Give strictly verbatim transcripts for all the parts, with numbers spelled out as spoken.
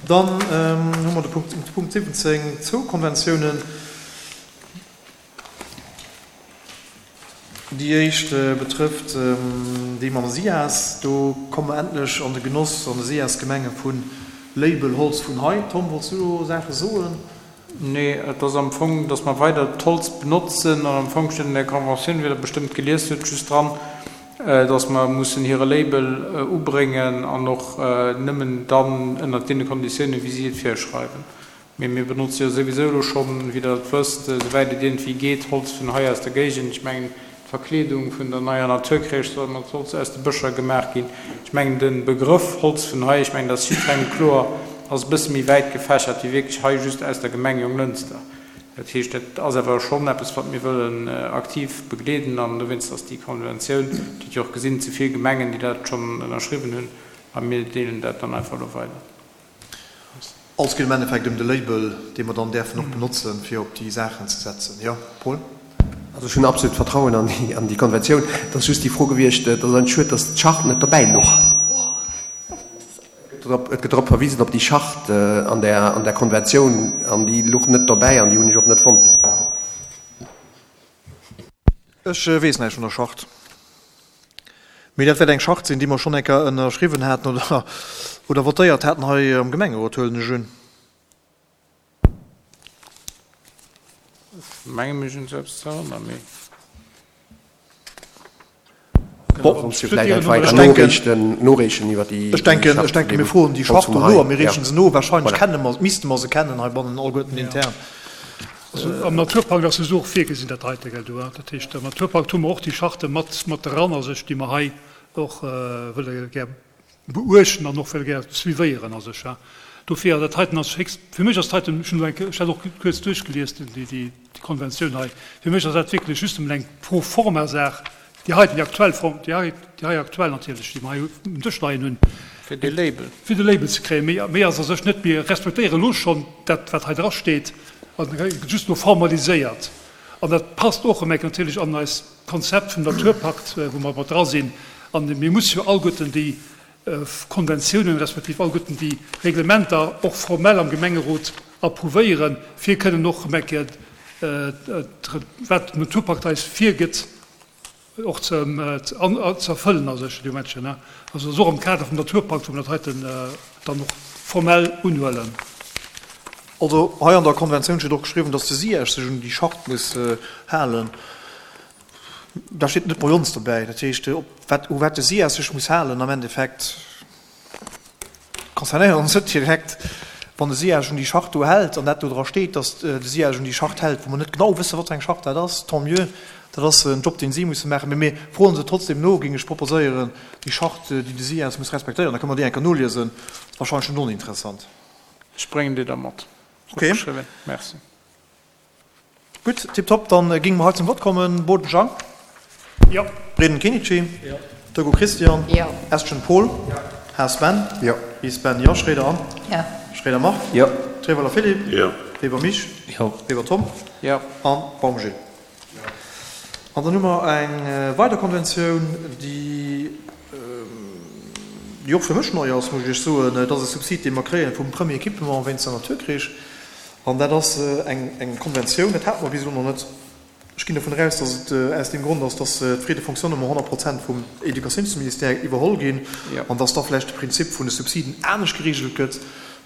Dann hu mer de Punkt, Punkt siwwenzéng, zwou Konventiounen. Déi éischt betrëfft déi mam SIAS. Do komme mer endlech an de Genoss an de SIAS-Gemenge vu Label Holz vun hei. Tom, wollts du do Saache soen? Nee, et ass am Fong, dass mer weider d'Holz benotzen an am Fong steet an där Conventioun, wéi Der bestëmmt gelies hutt, just dran, dass mer mussen hire Label ubréngen an och nëmmen dann ënnert deene Konditiounen, wéi si et virschreiwen. Mee mir benotze jo souwisou elo schonn, wéi Der et wësst, esouwäit et iergendwéi geet, Holz vun hei aus der Géigend. Ech mengen, d'Verkleedung vun der neier Naturcrèche soll mat Holz aus de Bëscher gemaach ginn. Ech mengen, de Begrëff Holz vun hei, ech mengen, dat ass jiddwerengem kloer, ass e bësse méi wäit gefächert wéi wierklech hei just aus der Gemeng Jonglënster. Dat heescht, dat ass awer schonn eppes, wat mir wëllen aktiv begleeden an dowéinst ass déi Konventioun, Dir hutt jo och gesinn, ze vill Gemengen, déi dat schonn ënnerschriwwen hunn, a mir deelen dat dann einfach elo weider. Also et geet am Endeffekt ëm de Label, dee mer dann däerfen och benotzen, fir op déi Saachen ze setzen. Jo, Paul? Also ech hunn absolut Vertrauen an déi, an déi Konventioun. Et ass just déi Fro gewiescht, et ass eigentlech schued, dass d'Charte net dobäi louch. Et gëtt drop, et gëtt drop verwisen op déi Charte an där, an där Konventioun, an déi louch net dobäi an déi hunn ech och net fonnt. Ech weess näischt vun der Charte. Mee dat wäert eng Charte sinn, déi mer schonn eng Kéier ënnerschriwwen haten oder, oder votéiert haten hei am Gemengerot, huelen ech un. Ech menge mech un esou eppes ze erënneren, mee. Bon, soss jo vläicht einfach eng Kéier noreechen, noreechen iwwer déi, Ech denken, ech denken, mir froen déi Charte do no a mir reechen se no. Wahrscheinlech kenne mer, misste mer se kennen heibannen alleguerten intern. Also am Naturpakt ass jo och virgesinn, dat heite, gell, do. Dat heescht, am Naturpakt hu mer och déi Charte mat, mat dran a sech, déi mer hei och wëlle gär beuechten an och wëlle gär suivéieren a sech. Dofir, dat heiten ass héchst, fir mech ass dat heiten, ech hunn elo eng Kéier, ech hat och kuerz duerchgelies, déi, déi Konventioun hei, fir mech ass dat wierklech just emol eng Pro-forma-Saach, Déi heiten, déi aktuell Form, déi hei, déi hei aktuell natierlech, déi mer hei um Dësch leien hunn. Fir de Label. Fir de Label ze kréien. Méi, méi ass a sech net. Mir respektéieren elo schonn dat, wat hei drasteet, an et gëtt just elo formaliséiert. An dat passt och erëm eng Kéier natierlech an eist Konzept vum Naturpakt, wou mer mat dra sinn. An mir musse jo alleguerten déi Konventiounen respektiv alleguerten déi Reglementer och formell am Gemengerot approuvéieren, fir kënnen och erëm eng Kéier, wat den Naturpakt eis virgëtt, och ze erfëllen a sech, déi Momentchen. Also ass och am Kader vum Naturpakt, wou mer dat heiten dann och formell unhuelen. Also hei an der Konventioun steet och geschriwwen, dass de SIAG sech un déi Charte muss halen. Da steet net bei ons dobäi. Dat heescht, op wat, u wat de SIAS sech muss halen am Endeffekt, concernéiert ons net direkt. Wann de SIAG un déi Charte do hält an dat do dra steet, datt de SIAG un déi Charte hält, wou mer net genau wëssen, wat fir eng Charte dat ass, tant mieux, dat ass en Job, deen si musse maachen. Mee mir froen se trotzdem no, géing ech proposéieren, déi Charte, déi de SIAS muss respektéieren. Da kënne mer déi eng Kéier noliesen. Ass wahrscheinlech net oninteressant. Ech bréngen déi da mat. Okay. Opgeschriwwen. Merci. Gutt, tiptop, dann géinge mer hei zum Vott kommen. Boden Jean. Jo. Breden Kenichi. Jo. Togo Christian. Jo. Estgen Paul. Jo. Haas Ben. Jo. Ries Ben. Jo. Schroeder Anne. Jo. Schroeder Marc. Jo. Treweiler Philippe. Jo. Weber Mich. Jo. Weber Tom. Jo. An Baum Gilles. Jo. An dann hu mer eng weider Konventioun, déi, déi och fir mech nei ass, muss ech Iech soen. Et ass e Subsid, dee mer kréien vum Premier Équipement wéinst der Naturkrich. An dat ass eng Konventioun, dat hate mer bis elo nach net. Ech ginn dovun eraus, datt et aus deem Grond ass, datt d'Frais de fonctionnement honnert Prozent vum Educatiounsministère iwwerholl ginn an datt da vläicht de Prinzip vun de Subsiden anescht geregelt gëtt,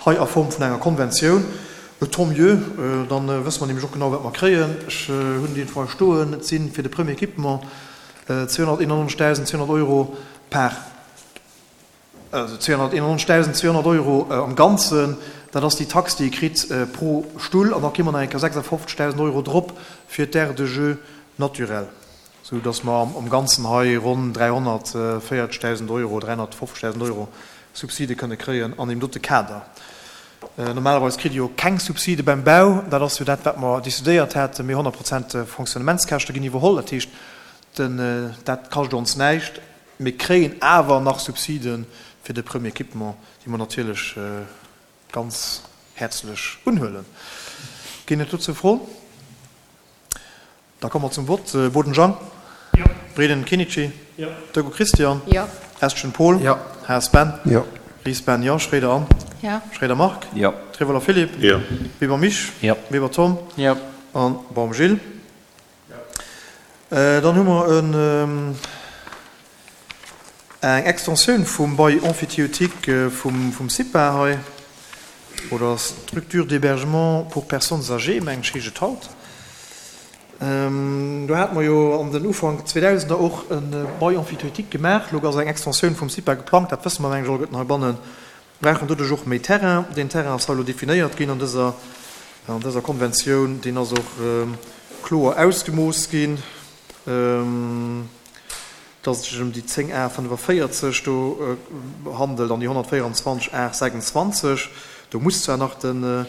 hei a Form vun enger Konventioun. Et tant mieux, da wësse mer nämlech och genau, wat mer kréien. Ech hunn déi Info hei stoen. Et si fir de Premier équipement zweehonnerteenannonzegdausend zweehonnert Euro par. Also zweehonnerteenannonzegdausend zweehonnert Euro am Ganzen, dat ass déi Tax, déi ee kritt pro Stull. An da kréie mer nach eng Kéier sechsafofzegdausend Euro drop fir d'Aire de jeux naturelle, sou datt mer am Ganzen hei ronn dräihonnertvéierzegdausend Euro, dräihonnertfofzegdausend Euro Subside kënne kréien an deem dote Kader. Normalerweis kritt ee jo keng Subside beim Bau, dat ass jo dat, wat mer decidéiert haten, mee honnert Prozent Fonctionnementskäschte ginn iwwerholl. Dat heescht, dat kascht ons näischt. Mir kréien awer nach Subside fir de Premier Équipement, déi mer natierlech ganz häerzlech unhuelen. Ginn et dozou Froen? Da komme mer zum Vott. Boden Jean. Jo. Breden Kenichi. Jo. Togo Christian. Jo. Estgen Paul. Jo. Haas Ben. Jo. Ries Ben. Jo. Schroeder Anne. Jo. Schroeder Marc. Jo. Trevoller Philippe. Jo. Weber Misch. Jo. Weber Tom. Jo. An Baum Gilles. Dann hu mer en eng Extensioun vum Bail emphytéotique vum vum CIPA hei, oder Structure d'hébergement pour personnes âgées, mengen ech heescht et haut. Do hate mer jo an den Ufank Zweedausender och e Bail emphytéotique gemaach. Elo ass eng Extensioun vum CIPA geplangt, dat wësse mer mengen ech alleguerten heibannen. Brauchen doduerch och méi Terrain. Deen Terrain ass hei elo definéiert ginn an dëser an dëser Konventioun. Deen ass och kloer ausgemooss ginn, dass et sech ëm déi zéng Ar fënnefavéierzeg do handelt an déi honnertvéierundzwanzeg Ar sechsundzwanzeg. Do muss zwar nach de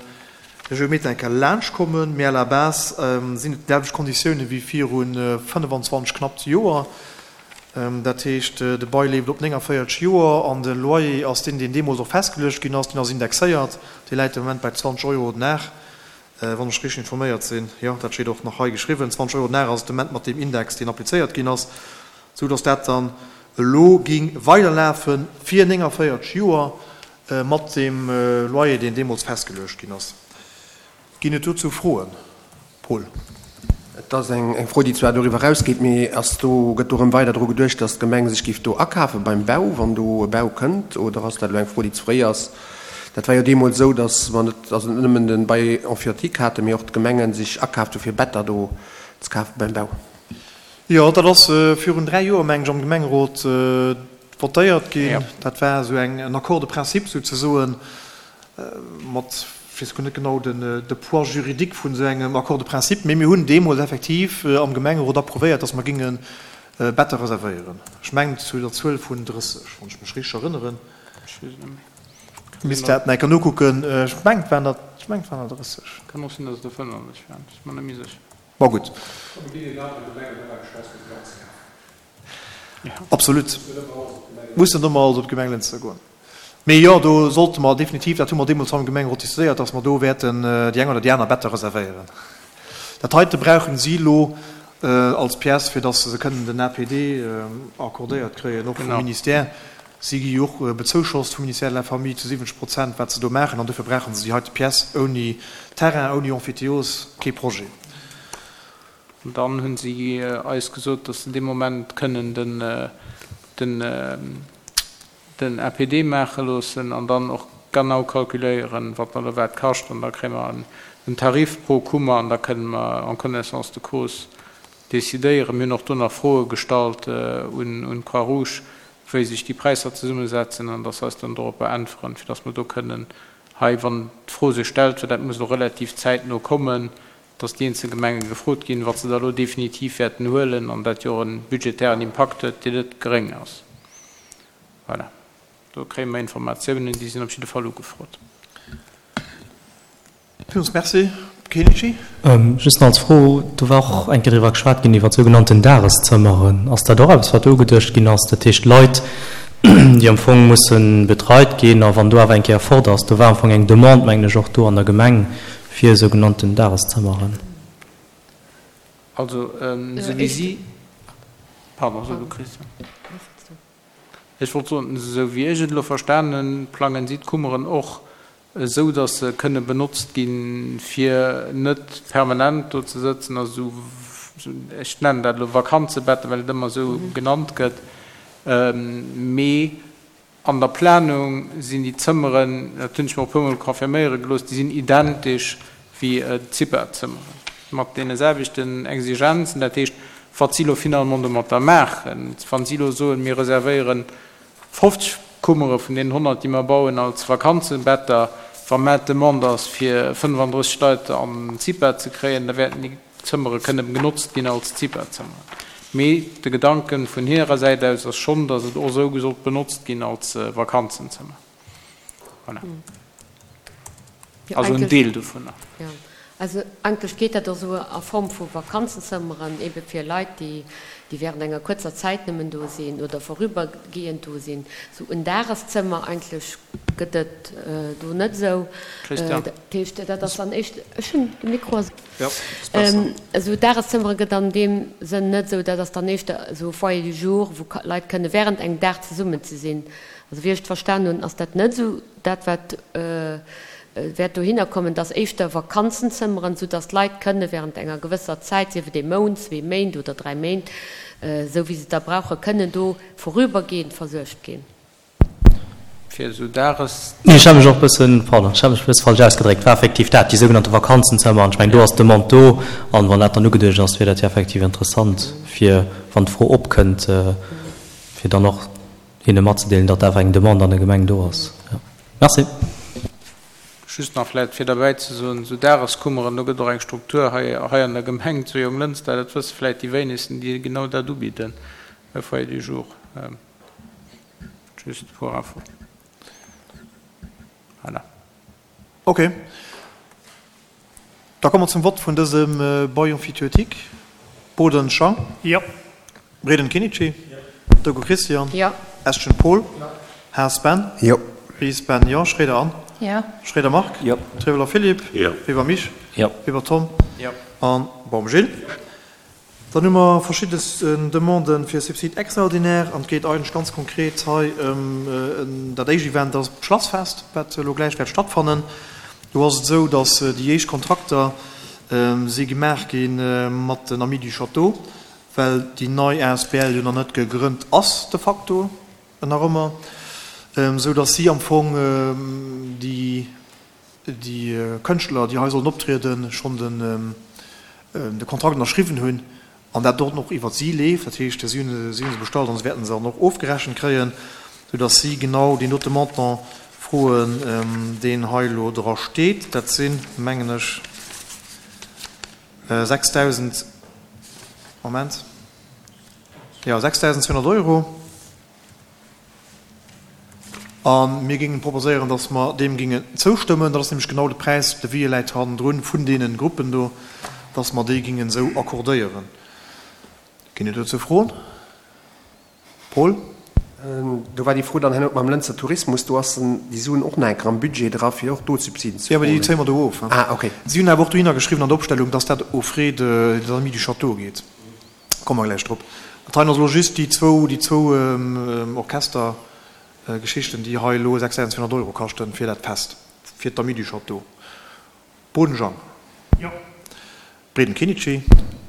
Geometer eng Kéier laanschtkommen, mee à la base sinn et déi selwecht Konditiounen wéi viru fënnefan-zwanzeg knappt Joer. Dat heescht, de Bail leeft op néngavéierzeg Joer an de Loyer ass deen, deen deemools och festgeluecht ginn ass, deen ass indexéiert, dee läit de Moment bei zwanzeg Euro den Dag, wann ech richteg informéiert sinn. Jo, dat steet och nach hei geschriwwen, zwanzeg Euro den Dag ass et de Moment mat deem Index, deen applizéiert ginn ass, sou datt dat dann elo géing weiderlafe fir néngavéierzeg Joer mat deem Loyer, deen deemools festgeluecht ginn ass. Ginn et dozou Froen? Paul. Et ass eng Fro, déi zwar doriwwer erausgeet, mee ass do, gëtt do erëm weider dru geduecht, datt d'Gemeng sech géif do akafe beim Bau, wann do e Bau kënnt, oder ass dat elo eng Fro, déi ze fréi ass? Dat war jo deemools esou, datt mer net, also net nëmmen de Bail emphytéotique haten, mee och d'Gemenge sech akaaft hu fir Better do ze kafe beim Bau. Jo, dat ass virun dräi Joer, meng ech, am Gemengerot votéiert ginn. Dat war esou eng, en Accord de principe souzesoen, mat, ech weess guer net genau den, de Poids juridique vun esou engem Accord de principe, mee mir hunn deemools effektiv am Gemengerot approuvéiert, dass mer géinge Better reservéieren. Ech mengen zu der Zuel vun drësseg, wann ech mech richteg erënneren. Misst dat nach eng Kéier nokucken. Ech mengen, et waren der, ech mengen, et waren der drësseg. Kann och sinn, dass et der fënnenddrësseg waren, ech si mer net méi sécher. Ma gutt. Absolut. Mussen ëmmer alles op d'Gemeng Lënster goen. Mee jo, do sollte mer definitiv, dat hu mer deemools am Gemengerot diskutéiert, dass mer do wäerten déi eng oder déi aner Better reservéieren. Dat heite brauchen si elo als Pièce, fir dass se kënnen den A P D accordéiert kréien, och vum Ministère. Si gi jo och bezouschost vum Ministère de la Famille zu siwwenzeg Prozent, wat se do maachen, an dofir brauche se déi heite Pièce. Ouni Terrain, ouni Emphytéose, kee Projet. An dann hu si eis gesot, dass se dee Moment kënnen den den A P D maache loossen an dann och genau calculéieren, wat dat wat kascht. An da kréie mer en Tarif pro Kummer an da kënne mer en connaissance de cause decidéieren. Mir hunn och do nach Froe gestallt un d'Croix-Rouge, wéi sech déi Präisser zesummesetzen an dass se eis dann doropper äntweren, fir dass mer do kënnen hei, wann d'Fro sech stellt, well dat muss elo relativ zäitno kommen, dass déi eenzel Gemenge gefrot ginn, wat se da elo definitiv wäerten huelen an dat jo och e budgetären Impakt huet, deen net geréng ass. Voilà. Do kréie mer Informatiounen, déi sinn op jidde Fall ugefrot. Villmools Merci. Kenichi? Just nach als Fro, do war och eng Kéier driwwer geschwat ginn, iwwer sougenannten Dageszëmmeren. Ass dat och eppes, wat do ugeduecht ginn ass? Dat heescht Leit, déi am Fong musse betreit ginn, a wann do awer eng Kéier fort ass, do war am Fong eng Demande, mengen ech, och do an der Gemeng fir sougenannten Dageszëmmeren. Also, esou wéi si, pardon, so du, Christian. Ech wollt soen, esou wéi ech et elo verstanen hunn, plangen si d'Kummeren och esou, datt se kënne benotzt ginn, fir net permanent do ze sëtzen, also esou, ech nennen dat elo Vakanzebetten, well et ëmmer esou genannt gëtt, mee an der Planung sinn déi Zëmmeren, dat hunn ech mer och e puermol confirméiere gelooss, déi sinn identesch wéi d'Zipa-Zëmmeren, mat deene selwechten Exigenzen. Dat heescht, wat si elo finalement domatter maachen, wa si elo soen, mir reservéieren fofzeg Kummere vun deenen honnert, déi mer bauen, als Vakanzebetter, wa mä d'Demande ass, fir fënnefandrësseg Leit an d'Zipa ze kréien, da wäerten déi Zëmmere kënne genotzt ginn als Zipa-Zëmmeren. Mee de Gedanke vun hirer Säit aus ass schonn, datt et och esou sollt benotzt ginn als Vakanzenzëmmer. Voilà. Jo, Also en eigentlech Deel dovunner. Jo. Also eigentlech geet dat och esou a Form vu Vakanzenzëmmeren, ebe fir Leit, déi, déi während enger kuerzer Zäit nëmmen do sinn oder vorübergehend do sinn. Esou en Dageszëmmer eigentlech gëtt gëtt et do net esou. Christian. Dat heescht, dat ass dann éischt, ech hunn de Mikro. Jo, ass besser. Esou Dageszëmmere gëtt an deem Sënn net esou, dat ass dann éischter esou Foyer du jour, wou Leit kënne während engem Dag zesummen ze sinn. Also wéi ech et verstan hunn, ass dat net esou dat, wat wäert dohinner kommen, dass éischter Vakanzenzëmmeren, soudass d'Leit kënne während enger gewësser Zäit, sief et ee Mount, zwee Méint oder dräi Méint, esou wéi se et da brauchen, kënnen do vorübergehend versuergt ginn. Fir esou Dages. Nee, ech hat mech och e bëssen, pardon, ech hat mech e bësse falsch ausgedréckt, war effektiv dat, déi sougenannte Vakanzenzëmmer. An ech mengen, do ass d'Demande do. An wann dat dann ugeduecht ass, wier dat jo effektiv interessant, fir, wann d'Fro opkënnt, fir dann och hinne matzedeelen, datt awer eng Demande an der Gemeng do ass. Jo. Merci. Just nach vläicht fir derbäi ze soen, esou Dageskummeren, do gëtt och eng Struktur hei, hei an der Gemeng zu Jonglënster, dat wësse vläicht déi wéinegsten, déi genau dat ubidden, e Foyer du jour. Just pour info. Voilà. Ok. Da komme mer zum Vott vun dësem Bail emphytéotique. Boden Jean. Jo. Breden Kinichi. Jo. Dogo Christian. Jo. Eschen Paul. Jo. Haas Ben. Jo. Ries Ben, jo. Schroeder Anne. Jo. Schroeder Marc. Jo. Treveler Philippe. Jo. Weber Mich. Jo. Weber Tom. Jo. An Baum Gilles. Dann hu mer verschidde Demanden fir Subside extraordinaire an et geet eigentlech ganz konkret hei ëm dat éischt Event, dat ass d'Schlassfest, wat elo gläich wäert stattfannen. Do ass et esou, datt déi éischt Kontrakter si gemaach gi mat den Amis du Château, well déi nei asbl jo nach net gegrënnt ass de facto nach ëmmer, esou datt si am Fong déi Kënschtler, déi hei sollen optrieden, schonn de Kontrakt ënnerschriwwen hunn an dat och och iwwert si leeft. Dat heescht, si hunn se bestallt an se wäerten se dann och ofgerechent kréien, soudatt si genau deen dote Montant froen, deen hei elo dra steet. Dat sinn, mengen ech, sechsdausend, Moment, jo, sechsdausendzweehonnert Euro. A mir géingen proposéieren, datt mer deem géingen zoustëmmen. Dat ass nämlech genau de Präis, de Devis läit hannendrun, vun deene Gruppen do, datt mer déi géingen esou accordéieren. Ginn et dozou Froen? Paul? Do war déi Fro dann herno mam Lënzer Tourismus, do ass déi Suen och nach eng Kéier am Budget dra fir och do Subsiden ze Jo, mä déi froen. zéie mer do of. Ah, okay. Si hunn awer och dohinner geschriwwen an der Opstellung, datt dat aux frais des Amis du Château geet. Komme mer gläich drop. Dat heien ass elo just déi zwou, déi zwou Orchestergeschichten, déi hei elo sechsdausendzweehonnert Euro kaschten fir dat Fest, fir d'Amis du Château. Bodenjang. Jo. Breden Kinichi.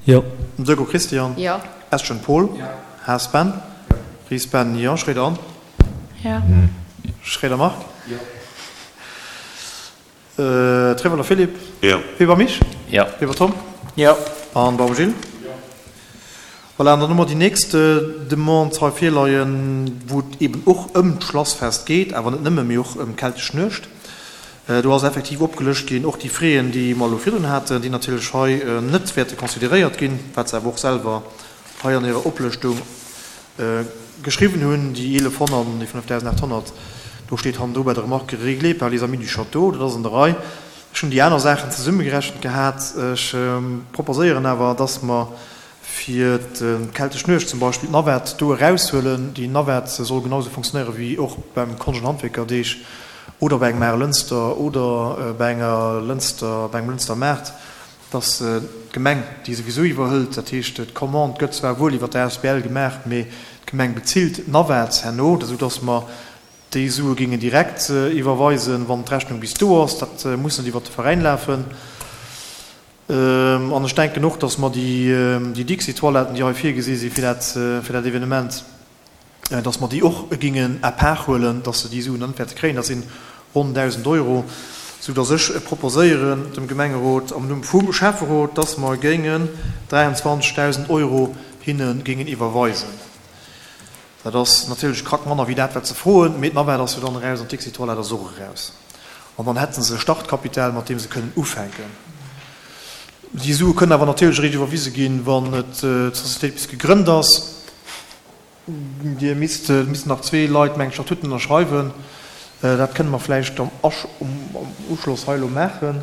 Jo. Dögo Christian. Jo. Eschen Paul. Jo. Haas Ben. Jo. Ries Ben, jo. Schroeder Anne. Jo. Schroeder Marc. Jo. Treveler Philippe. Jo. Weber Mich. Jo. Weber Tom. Jo. An Baum Gilles. Jo. Voilà, an dann hu mer déi nächst Demande hei virleien, wou et eben och ëm d'Schlassfest geet, awer net nëmme, mee och ëm d'Keltesch Nuecht. Do ass effektiv opgelëscht ginn och déi Fräen, déi mer elo virdrun haten, déi natierlech hei net wäerte consideréiert ginn, wat se awer och selwer hei an hirer Oplëschtung geschriwwen hunn, déi eelefhonnert an déi fënnefdausendachthonnert. Do steet hannendru bei der Remarque réglé par les Amis du Château. Dat ass an der Rei. Ech hunn déi aner Saachen zesummegerechent gehat. Ech proposéieren awer, dass mer fir d'Keltesch Nuecht zum Beispill d'Navette do eraushuelen. Déi Navette soll genau esou fonctionnéiere wéi och beim Konscht an Handwierkerdeeg oder bei engem Maarlënster oder bei enger Lënster, bei engem Lënster Maart, dass d'Gemeng déi souwisou iwwerhëlt. Dat heescht, d'Commande gëtt zwar wuel iwwer d'asbl gemaach, mee d'Gemeng bezilt d'Navette herno, esou dass mer déi Sue géingen direkt iwwerweisen, wann d'Rechnung bis do ass. Dat muss net iwwert de Veräin lafen. An ech denken och, dass mer déi Dixi-Toiletten, déi hei virgesi si fir dat, fir dat Evenement, dass mer déi och géingen à part huelen, dass se déi Suen dann net wäerte kréien. Dat sinn ronn dausend Euro, soudass ech proposéieren dem Gemengerot am Numm vum Schäfferot, dass mer géingen dräianzwanzegdausend Euro hinne géingen iwwerweisen. Dat ass natierlech e Krack manner wéi dat, wat se froen, mee d'Navette ass jo dann eraus an d'Dixi-Toilette ass och eraus. An dann hätte se e Startkapital, mat deem se kënnen ufänken. Déi Sue kënnen awer natierlech eréischt iwwerwise ginn, wann d'Societéit bis gegrënnt ass. Dir misst, et missten nach zwee Leit, mengen ech, d'Statuten ënnerschreiwen. Dat kënne mer vläicht am Uschloss hei elo maachen.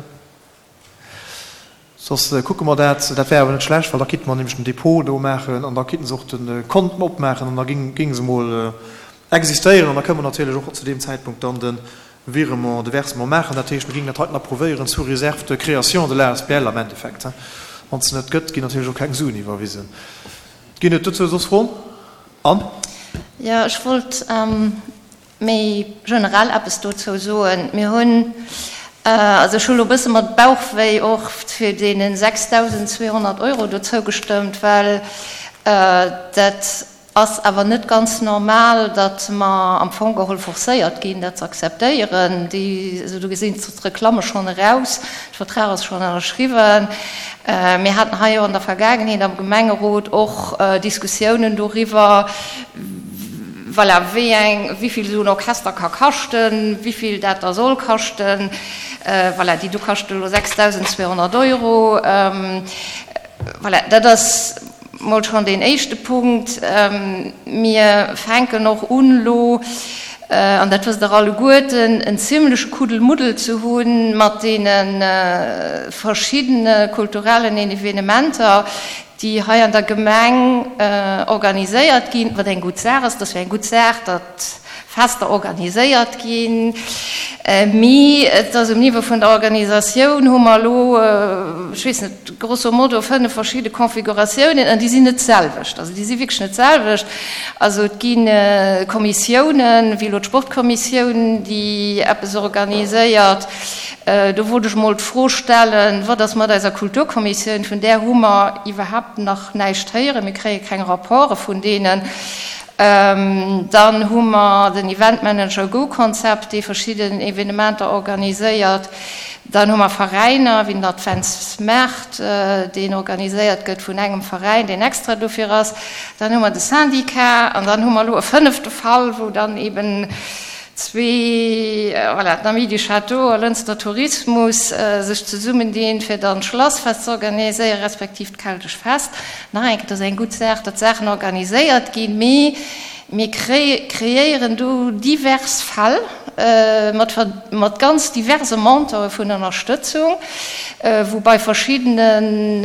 Soss kucke mer dat. Dat wär awer net schlecht, well da kinnte mer nämlech den Dépôt do maachen an da kinnte se och de Kont opmaachen an da géinge se emol existéieren. An da kënne mer natierlech och zu deem Zäitpunkt dann de Virement, de Versement maachen. Dat heescht, mir géingen dat heiten approuvéieren sous réserve de création de l'ASBL am Endeffekt. Wann se net gëtt, ginn natierlech och keng Suen iwwerwisen. Ginn et dozou soss Froen? Anne? Jo, ech wollt méi generell eppes dozou soen. Mir hunn, also ech hu lo e bësse mat Bauchwéi och fir deene sechstausendzweehonnert Euro do zougestëmmt, well dat ass awer net ganz normal, datt mer am Fong geholl forcéiert ginn, dat ze akzeptéieren. Déi, also do gesinn d'Reklamme schonn eraus, de Vertrag ass schonn ënnerschriwwen. Mir haten hei jo an der Vergaangenheet am Gemengerot och Diskussiounen doriwwer, voilà, wéi eng, wéi vill esou en Orchester ka kaschten, wéi vill dat da soll kaschten. Voilà, déi do kaschte elo sechstausendzweehonnert Euro. Voilà, dat ass mol schonn deen éischte Punkt. Mir fänken och un elo, an dat wësst Der alleguerten, en zimleche Kuddelmuddel ze hu mat deene verschiddene kulturellen Evenementer, déi hei an der Gemeng organiséiert ginn, wat eng gutt Saach ass. Dat ass jo eng gutt Saach, datt Fester organiséiert ginn, mee et ass um Niveau vun der Organisatioun hu mer elo, ech weess net, grosso modo fënnef verschidde Configuratiounen an déi sinn net d'selwecht. Also déi si wierklech net d'selwecht. Also et gi Kommissiounen, wéi elo d'Sportkommissioun, déi eppes organiséiert. Do wollt ech emol d'Fro stellen, Wat ass mat eiser Kulturkommissioun? Vun där hu mer iwwerhaapt nach näischt héieren. Mir kréie keng Rapporte vun deenen. Dann hu mer den Event Manager Go Concept, dee verschidden Evenementer organiséiert. Dann hu mer Veräiner wéi den Adventsmaart, deen organiséiert gëtt vun engem Veräin, deen extra dofir ass. Dann hu mer de Syndicat an dann hu mer elo e fënnefte Fall, wou dann eben zwee, voilà, d'Amis du Château a Lënster Tourismus sech zesummendinn, fir dann d'Schlassfest ze organiséieren, respektiv d'keltesch Fest. Nach eng Kéier, et ass eng gutt Saach, datt Saachen organiséiert ginn, mee mir kreéieren do divers Fäll mat, mat ganz diverse Montantë vun Ënnerstëtzung, wou bei verschiddenen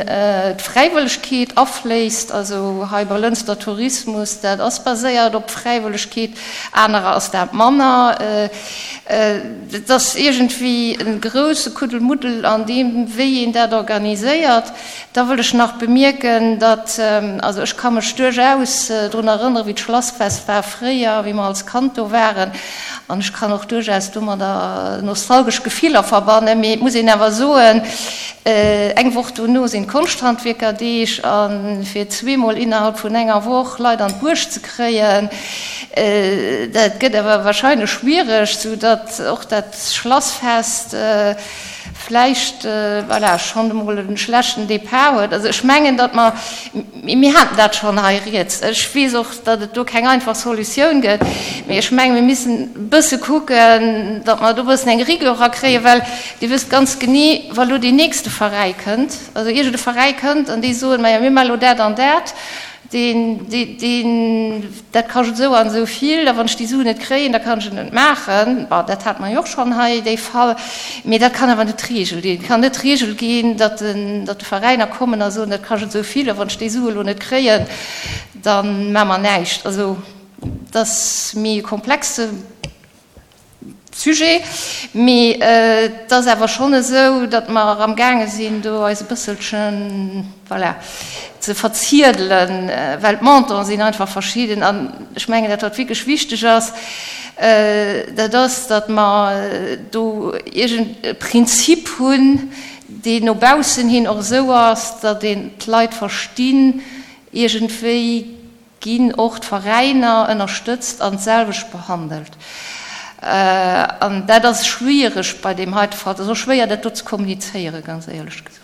d'Fräiwëllegkeet afléisst, also hei bei Lënster Tourismus, dat ass baséiert op Fräiwëllegkeet, anerer ass dat manner. Et ass iergendwéi e grousse Kuddelmuddel an deem, wéi een dat organiséiert. Da wëll ech nach bemierken, datt, also ech ka mech duerchaus drun erënneren, wéi d'Schlassfest war fréier, wéi mer als Kand do waren, an ech kann och duerchaus domadder nostalgesch Gefiller verbannen, mee et muss een awer soen, eng Woch dono sinn d'Konschthandwierkerdeeg, a fir zweemol innerhalb vun enger Woch Leit an d'Buerg ze kréien, dat gëtt awer wahrscheinlech schwiereg, soudatt och dat Schlassfest vläicht, voilà, schonn emol e schlechten Départ huet. Also ech mengen, datt mer, mir haten dat schonn hei rieds, ech weess och, datt et do keng einfach Solutioun gëtt, mee ech menge mir missen e bësse kucken, datt mer do e bëssen eng Rigueur erakréien, well Dir wësst ganz genee, wa lo deen nächste Veräi kënnt, also iergend e Veräi kënnt an déi soen, majo mir maache lo dat an dat, Deen, deen, dat kascht esou an esou vill, a wann ech déi Suen net kréien, da kann ech et net maachen. Bon, dat hate mer jo och schonn hei, dee Fall. Mee dat kann awer net d'Regel ginn. Et kann net d'Regel ginn, datt den, datt de Veräiner kommen a soen, dat kascht esou vill, a wann ech déi Sue elo net kréien, da maache mer näischt. Also, et ass méi e komplexe Sujet, mee et ass awer schonn esou, datt mer amgaange sinn, do eis e bësselchen, voilà, ze verziedelen, well d'Montanten sinn einfach verschidden. An ech mengen, dat wat wierklech wichteg ass, dat ass, datt mer do iergend e Prinzip hunn, deen no baussen hin och esou ass, datt een d'Leit verstinn, iergendwéi ginn och d'Veräiner ënnerstëtzt an d'selwecht behandelt. An dat ass schwiereg bei deem heite Fall. Et ass och schwéier, dat do ze kommunizéieren, ganz éierlech gesot.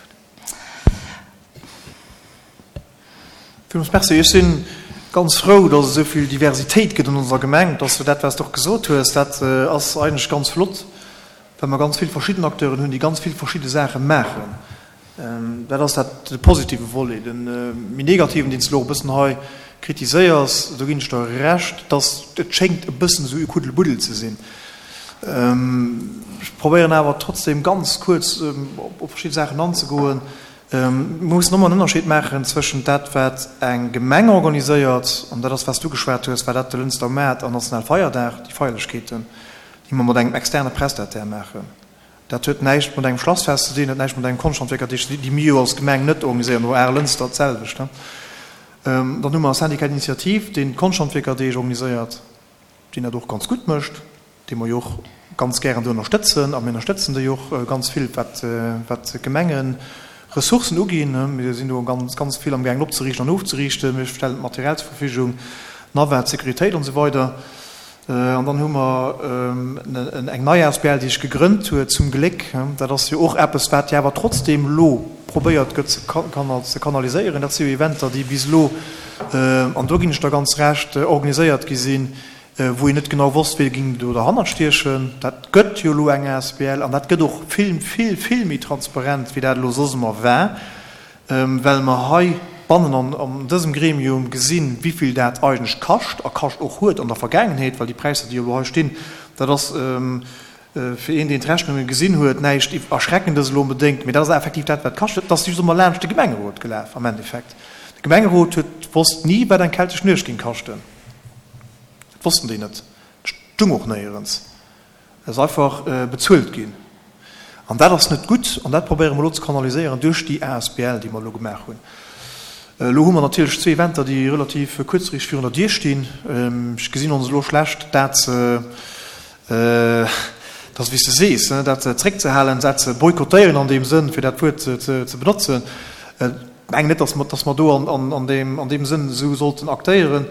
Villmools Merci. Ech si ganz frou, dass et esou vill Diversitéit gëtt an onser Gemeng. Dass du dat, wat s de och gesot hues, dat ass eigentlech ganz flott, well mer ganz vill verschidden Acteuren hunn, déi ganz vill verschidde Saache maachen. Dat ass dat de positive Volet. De méi negativen, deen s de elo och e bëssen hei kritiséiers, do ginn ech der Recht, dass et schéngt e bëssen esou e Kuddelmuddel ze sinn. Ech probéieren awer trotzdem ganz kuerz op verschidde Saachen anzegoen. Mir mussen ëmmer en Ënnerscheed maachen zwëschent dat, wat eng Gemeng organiséiert, an dat ass, wat s du geschwat hues, war dat de Lënster Maart an Nationalfeierdag, déi Feierlechkeeten. déi mer mat engem externe Prestataire maachen. Dat huet näischt mat engem Schlassfest ze dinn, huet näischt mat engem Konschthandwierkerdeeg ze dinn, déi mir jo als Gemeng net organiséieren, oder Aarlënster d'selwecht. Dann hu mer e Syndicat d'initiative, deen d'Konschthandwierkerdeeg organiséiert, deen dat och ganz gutt mécht, dee mer jo och ganz gären do ënnerstëtzen, a mir ënnerstëtzen déi och ganz vill, wat wat d'Gemengeressourcen uginn. Mir sinn do ganz, ganz vill amgaangen opzeriichten an ofzeriichten. Mir stellen d'Material zur Verfügung, d'Navette, d'Sécuritéit an esou weider. An dann hu mer eng nei asbl, déi sech gegrënnt huet, zum Gléck. Dat ass jo och eppes, wat jo awer trotzdeem elo probéiert gëtt ze kanaliséieren. Dat si jo Eventer, déi bis elo, an do ginn ech der ganz Recht, organiséiert gi sinn, wou een net genau wosst, wie géing do derhannert stiechen. Dat gëtt jo elo eng asbl an dat gëtt och vill, vill, vill méi transparent, wéi dat elo soss ëmmer war, well mer hei bannen an dësem Gremium gesinn, wéi vill dat eigentlech kascht a kascht och huet an der Vergaangenheet, well déi Präisser, déi elo hei stinn, dat ass fir een, deen d'Rechnunge gesinn huet, näischt Erschreckendes elo onbedéngt, mee dat ass effektiv dat, wat kascht. Et ass just ëmmer laanscht de Gemengerot gelaf am Endeffekt. De Gemengerot huet wosst ni, wat eng keltesch Nuecht géing kaschten. Dat wossten déi net. Dat stung och néierens. Et ass einfach bezuelt ginn. An dat ass net gutt an dat probéiere mer elo ze kanaliséieren duerch déi asbl, déi mer elo gemaach hunn. Elo hu mer natierlech zwee Eventer, déi relativ kuerzfristeg virun der Dier stinn. Ech gesinn ons elo schlecht, dat ze, dat ass wéi s de sees, dat zréckzehalen, dat ze boykottéieren an deem Sënn, fir dat Wuert ze benotzen. Ech mengen net, dass mer do an deem Sënn esou sollten aktéieren.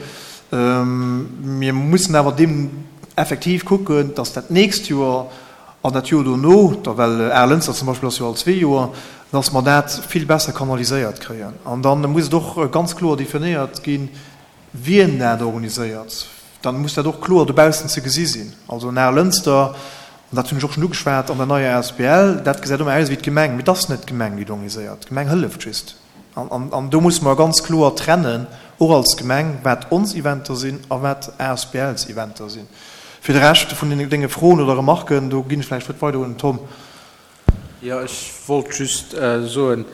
Mir mussen awer deem effektiv kucken, dass dat nächst Joer an dat Joer dono, da well Aarlënster zum Beispill ass jo all zwee Joer, dass mer dat vill besser kanaliséiert kréien. An da muss et och ganz kloer definéiert ginn, wien dat organiséiert. Da muss dat och kloer dobaussen ze gesi sinn. Also en Aarlënster, an dat hunn ech och schonn ugeschwat an der neier asbl, dat gesäit ëmmer aus wéi d'Gemeng, mee et ass net d'Gemeng, déi et organiséiert. D'Gemeng hëlleft just. An do musse mer ganz kloer trennen, och als Gemeng, wat ons Eventer sinn a wat asbls Eventer sinn. Fir de Rescht vun denge Froen oder Remarken, do ginn ech vläicht d'Wuert weider un den Tom. Jo, ech wollt just soen,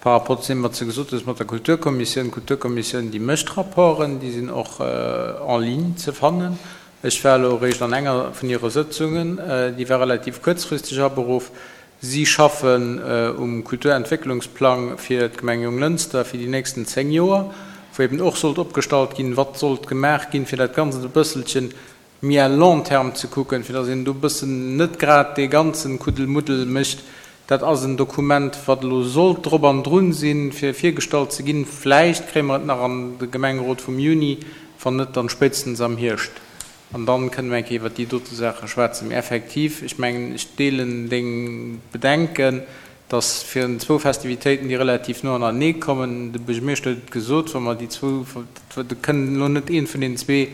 par rapport zu deem, wat s de gesot hues mat der Kulturkommissioun, D'Kulturkommissioun, déi mécht Rapporten, déi sinn och en ligne ze fannen. Ech war elo eréischt an enger vun hire Sëtzungen, déi war relativ kuerzfristeg aberuff. Si schaffen um Kulturentwécklungsplang fir d'Gemeng Jonglënster fir déi nächsten zéng Joer, wou eben och sollt opgestallt ginn, wat sollt gemaach ginn, fir dat Ganzt e bësselchen méi à long terme ze kucken, fir datt een do e bëssen net grad dee ganzen Kuddelmuddel mécht. Dat ass en Dokument, wat elo sollt drop an drun sinn, fir virgestallt ze ginn. Vläicht kréie mer et nach an de Gemengerot vum Juni, wann net, dann spéitstens am Hierscht. An dann kënne mer eng Kéier iwwert déi dote Saache schwätzen. Mee effektiv, ech mengen, ech deelen deng Bedenken, dass fir zwou Festivitéiten, déi relativ no anernee kommen, de Buergermeeschter huet et gesot, wa mer déi zwou, do kënnen elo net eent vun deenen zwee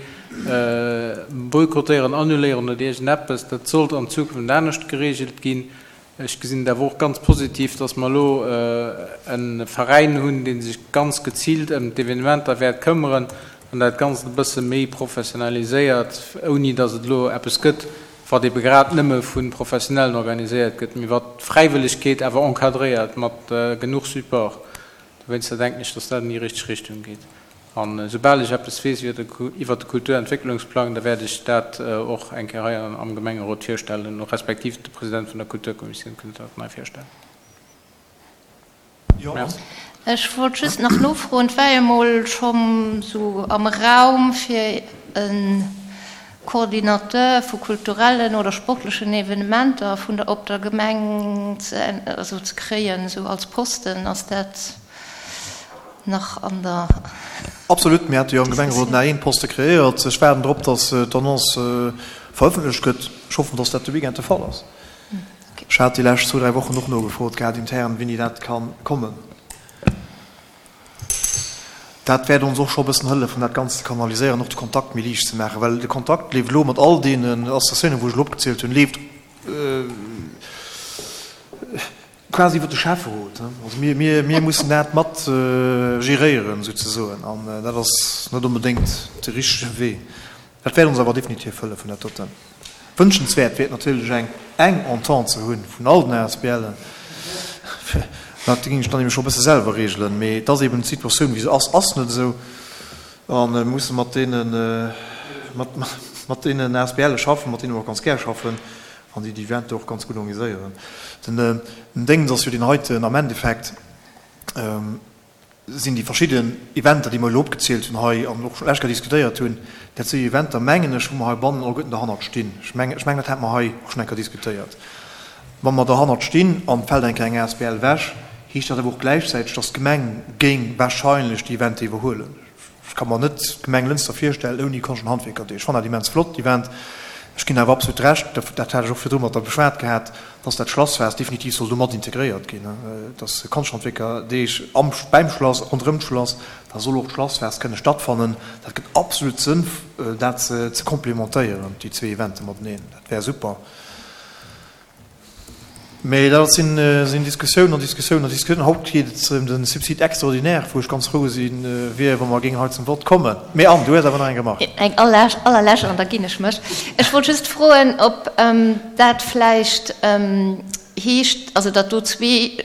boykottéieren, annuléieren oder iergendeppes, dat sollt an Zukunft anescht geregelt ginn. Ech gesinn et awer och ganz positiv, dass mer elo e Veräin hunn, dee sech ganz geziilt ëm d'Evenementer wäert këmmeren an dat Ganzt e bësse méi professionaliséiert, ouni dass et elo eppes gëtt, wat ebe grad nëmme vu Professionellen organiséiert gëtt, mee wat d'Fräiwëllegkeet awer encadréiert mat genuch Support. Dowéinster denken ech, dass dat an déi richteg Richtung geet. An esoubal ech eppes weess iwwert de Kulturentwécklungsplang, da wäert ech dat och eng Kéier hei am Gemengerot virstellen, respektiv de President vun der Kulturkommissioun kënnt dat nei virstellen. Merci. Ech wollt just nach nofroen, et war jo emol scho sou am Raum, fir e Coordinateur vu kulturellen oder sportlechen Evenementer vun der op der Gemeng ze also ze kréien, esou als Posten. Ass dat nach an der Absolut, mir hate jo am Gemengerot nach een Poste kreéiert. Ech waarden drop, datt d'Annonce verëffentlecht gëtt. Ech hoffen, datt dat de Weekend de Fall ass. Ech hat déi lescht zwou, dräi Wochen och nogefrot gehat intern, wéini dat ka kommen. Dat wäert ons och scho e bëssen hëllefen, dat Ganzt ze kanaliséieren, och de Kontakt méi liicht ze maachen, well de Kontakt leeft elo mat all deenen Associatiounen, wou ech elo opgezielt hunn, leeft quasi iwwer de Schäfferot. Also mir, mir, mir mussen dat mat geréieren souzesoen, an dat ass net onbedéngt de richtege Wee. Dat wäert ons awer definitiv hëllefen, dat doten. Wënschenswäert wier et natierlech eng eng Entente ze hunn vun all den ASBLen. Dat géing ech dann eben scho e bësse selwer regelen, mee et ass eben d'Situatioun wéi se ass, ass net esou a mir musse mat deenen, mat, mat deenen ASBLe schaffen, mat deene mer och ganz gär schaffen an déi déi Eventer och ganz gutt organiséieren. Den Déngens ass jo deen heiten, am Endeffekt sinn déi verschidden Eventer, déi mer elo opgezielt hunn hei an och schonn lech diskutéiert hunn, dat si Eventer, mengen ech, wou mer heibannen alleguerten derhannert stinn. Ech mengen, ech mengen, dat hate mer hei och schonn eng Kéier diskutéiert. Wa mer derhannert stinn an et fält eng Kéier eng asbl ewech, heescht dat awer och gläichzäiteg, dass d'Gemeng géing wahrscheinlech déi Eventer iwwerhuelen. Ech ka mer net d'Gemeng Lënster virstellen ouni Konscht an Handwierkerdeeg. Ech fannen dat immens flott, déi Event. Ech ginn awer absolut Recht, dat hat ech och virdru mat der beschwat gehat, dass dat Schlassfest definitiv soll do mat integréiert ginn, dass Konschthandwierkerdeeg am, beim Schlass, ronderëm d'Schlass, da soll och d'Schlassfest kënne stattfannen. Dat gëtt absolut Sënn, dat ze complementéieren, déi zwee Evente mateneen. Dat wär super. Mee dat sinn Diskussiounen an Diskussiounen an Diskussiounen. Haut geet et ëm de Subside extraordinaire, wou ech ganz frou si wier, wa mer géingen hei zum Vott kommen. Mee Anne, du hues awer nach eng Remarque. Eng allerlescht, an da ginn ech mech. Ech wollt just froen, ob dat vläicht heescht, also datt do zwee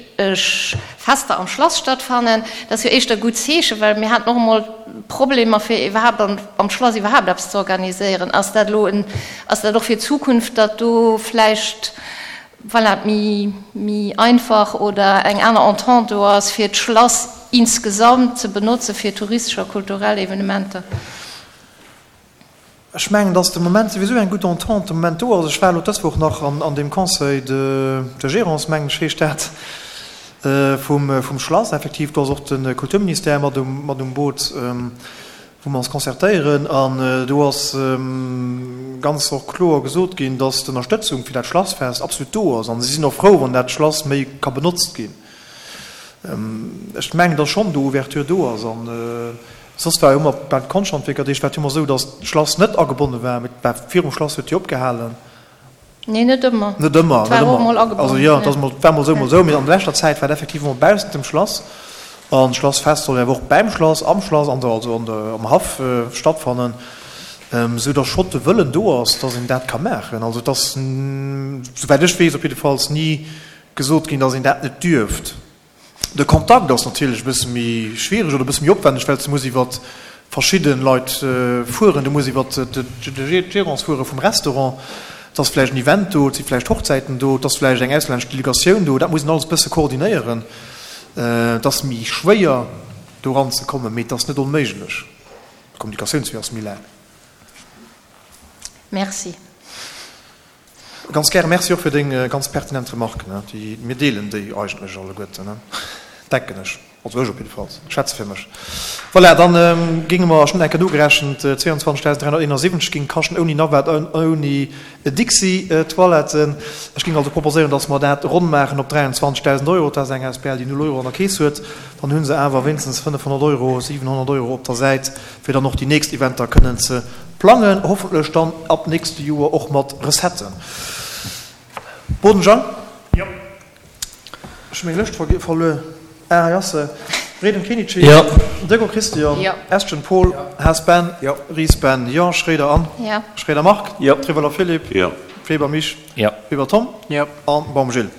Fester am Schlass stattfannen. Dat ass jo éischter e gutt Zeechen, well mir haten och emol Problemer, fir iwwerhaapt am Schlass iwwerhaapt eppes ze organiséieren. Ass dat elo en, ass dat och fir d'Zukunft, datt do vläicht, voilà, méi, méi einfach oder eng aner Entente do ass, fir d'Schlass insgesamt ze benotze fir touristesch a kulturell Evenementer? Ech mengen, dass de Moment souwisou eng gutt Entente de Moment do ass. Ech war elo dës Woch nach an deem Conseil de gérance, mengen ech heescht dat, vum Schlass. Effektiv, do ass och de Kulturministère mat um Boot, wou mer ons concertéieren. An do ass ganz och kloer gesot ginn, dass d'Ënnerstëtzung fir dat Schlassfest absolut do ass. An si sinn och frou, wann dat Schlass méi ka benotzt ginn. Ech mengen, dass schonn do Ouverture do ass. An soss war jo ëmmer bei de Konschthandwierkerdeeg war et jo ëmmer esou, dass d'Schlass net agebonne war, mee et war virum Schlass huet jo opgehalen. Nee, net ëmmer. Net ëmmer, net ëmmer. Also jo, et ass mol, war mol esou, mol esou, mee an leschter Zäit war et effektiv ëmmer baussent dem Schlass. An d'Schlassfest soll jo awer och bäim Schlass, am Schlass, an der, also an der, am Haff stattfannen, esou dass schonn de Wëllen do ass, dass een dat ka maachen. Also et ass, souwäit ech weess op jiddefalls, ni gesot ginn, dass een dat net dierft. De Kontakt ass natierlech e bësse méi schwiereg oder e bësse méi opwänneg, well s de muss iwwer verschidde Leit fueren, du muss iwwer d'Gérance fuere vum Restaurant, et ass vläicht en Event do, et si vläicht Hochzäiten do, et ass vläicht eng auslännesch Delegatioun do, dat muss een alles e bësse koordinéieren. Et ass méi schwéier do eranzekommen, mee et ass net onméiglech. De Kommunikatiounswee ass méi laang. Merci. Ganz gären. Merci och fir deng ganz pertinent Remarken. Déi, mir deelen déi eigentlech alleguerten, denken ech. Also ech op jiddefalls. Ech schwätze fir mech. Voilà, dann géinge mer, ech hunn eng Kéier nogerechent, zweiundzwanzegdausend dräihonnerteenasiwwenzeg géing kaschten ouni Navette an ouni Dixi-Toiletten. Ech géing also proposéieren, dass mer dat ronn maachen op dräianzwanzegdausend Euro. Dat ass eng asbl, déi null Euro an der Keess huet. Dann hu se awer wéinstens fënnefhonnert Euro, siwenhonnert Euro op der Säit, fir dann och déi nächst Eventer kënnen ze plangen, hoffentlech dann ab nächste Joer och mat Recetten. Boden Jang? Jo. Ech hu meng Lëscht verluer. Ah, hei ass se. Reding Kenichi? Jo. Decker Christian? Jo. Estgen Paul? Jo. Haas Ben? Jo. Ries Ben? Jo. Schroeder Anne? Jo. Schroeder Marc? Jo. Trivolo Philippe? Jo. Weber Mich? Jo. Weber Tom? Jo. An Baum Gilles?